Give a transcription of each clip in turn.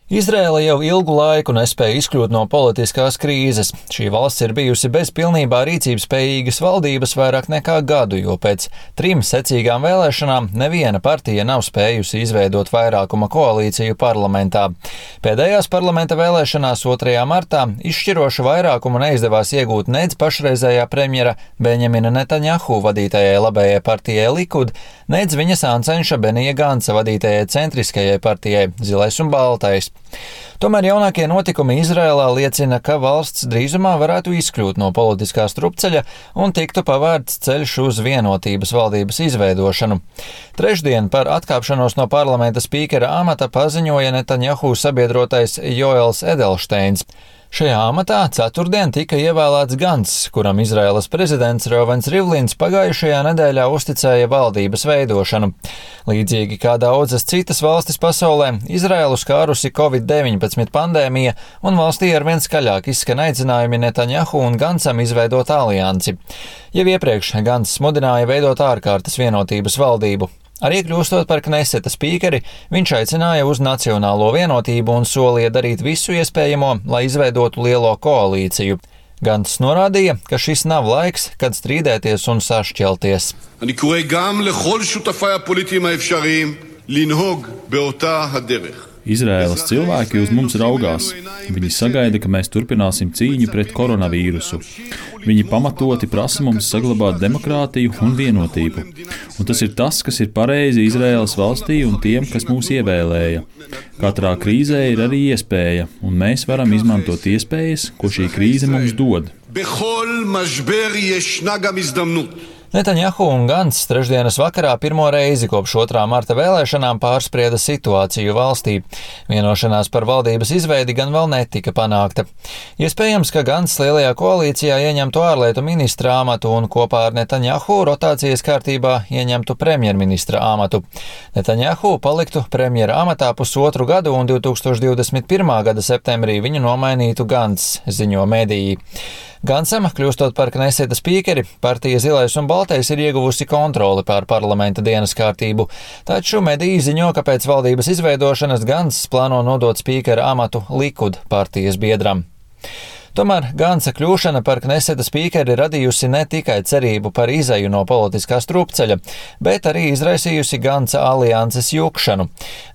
Izraēla jau ilgu laiku nespēja izkļūt no politiskās krīzes. Šī valsts ir bijusi bez pilnībā rīcības spējīgas valdības vairāk nekā gadu, jo pēc 3 secīgām vēlēšanām neviena partija nav spējusi izveidot vairākuma koalīciju parlamentā. Pēdējās parlamenta vēlēšanās 2. martā izšķirošu vairākumu neizdevās iegūt nec pašreizējā premjera Benjamina Netanjahu vadītajai labējai partijai Likud, nec viņa sāncenša Benija Ganca vadītajai centriskajai partijai Zilais un Baltais. Tomēr jaunākie notikumi Izrēlā liecina, ka valsts drīzumā varētu izkļūt no politiskā strupceļa un tiktu pavērts ceļš uz vienotības valdības izveidošanu. Trešdien par atkāpšanos no parlamenta spīkera amata paziņoja Netanjahu sabiedrotais Joels Edelsteins. Šajā amatā ceturtdien tika ievēlēts Gants, kuram Izraēlas prezidents Reuvens Rivlins pagājušajā nedēļā uzticēja valdības veidošanu. Līdzīgi kā daudzas citas valstis pasaulē, Izraēlu skārusi Covid-19 pandēmija un valstī arvien skaļāk izskan aicinājumi Netanjahu un Gansam izveidot aliansi. Jau iepriekš Gants mudināja veidot ārkārtas vienotības valdību. Arī kļūstot par Kneseta spīkeri, viņš aicināja uz nacionālo vienotību un solīja darīt visu iespējamo, lai izveidotu lielo koalīciju. Gants norādīja, ka šis nav laiks, kad strīdēties un sašķelties. אני קורא גם לכל שותפיי הפוליטיים האפשריים לנהוג באותה הדרך. Izraēlas cilvēki uz mums raugās. Viņi sagaida, ka mēs turpināsim cīņu pret koronavīrusu. Viņi pamatoti prasa mums saglabāt demokrātiju un vienotību. Un tas ir tas, kas ir pareizi Izraēlas valstī un tiem, kas mūs ievēlēja. Katrā krīzē ir arī iespēja, un mēs varam izmantot iespējas, ko šī krīze mums dod. בכל משבר ישנה גם הזדמנות. Netanjahu un Gants trešdienas vakarā pirmo reizi kopš 2. marta vēlēšanām pārsprieda situāciju valstī. Vienošanās par valdības izveidi gan vēl netika panākta. Iespējams, ka Gants lielajā koalīcijā ieņemtu ārlietu ministra amatu un kopā ar Netanjahu rotācijas kārtībā ieņemtu premjerministra amatu. Netanjahu paliktu premjera amatā 1,5 gadu un 2021. gada septembrī viņu nomainītu Gants, ziņo mediji. Gansam, kļūstot par Kneseta spīkeri, partija Zilais un Baltais ir ieguvusi kontroli pār parlamenta dienas kārtību, taču mediji ziņo, ka pēc valdības izveidošanas Gants plāno nodot spīkera amatu Likud partijas biedram. Tomēr Gansa kļūšana par Kneseta spīkeri radījusi ne tikai cerību par izeju no politiskā strupceļa, bet arī izraisījusi Gansa alianses jukšanu.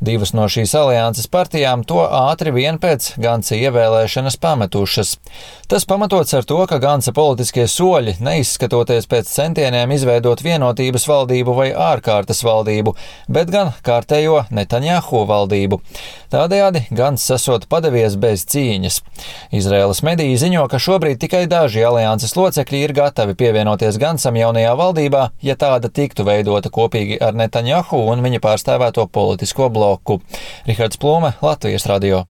2 no šīs alianses partijām to ātri vien pēc Gansa ievēlēšanas pametušas. Tas pamatots ar to, ka Gansa politiskie soļi, neizskatoties pēc centieniem izveidot vienotības valdību vai ārkārtas valdību, bet gan kārtējo Netanjahu valdību. Tādējādi Gants esot padevies bez cīņas. Izraēlas mediji ziņo, ka šobrīd tikai daži alianses locekļi ir gatavi pievienoties Gansam jaunajā valdībā, ja tāda tiktu veidota kopīgi ar Netanjahu un viņa pārstāvēto politisko bloku. Rihards Plūme, Latvijas radio.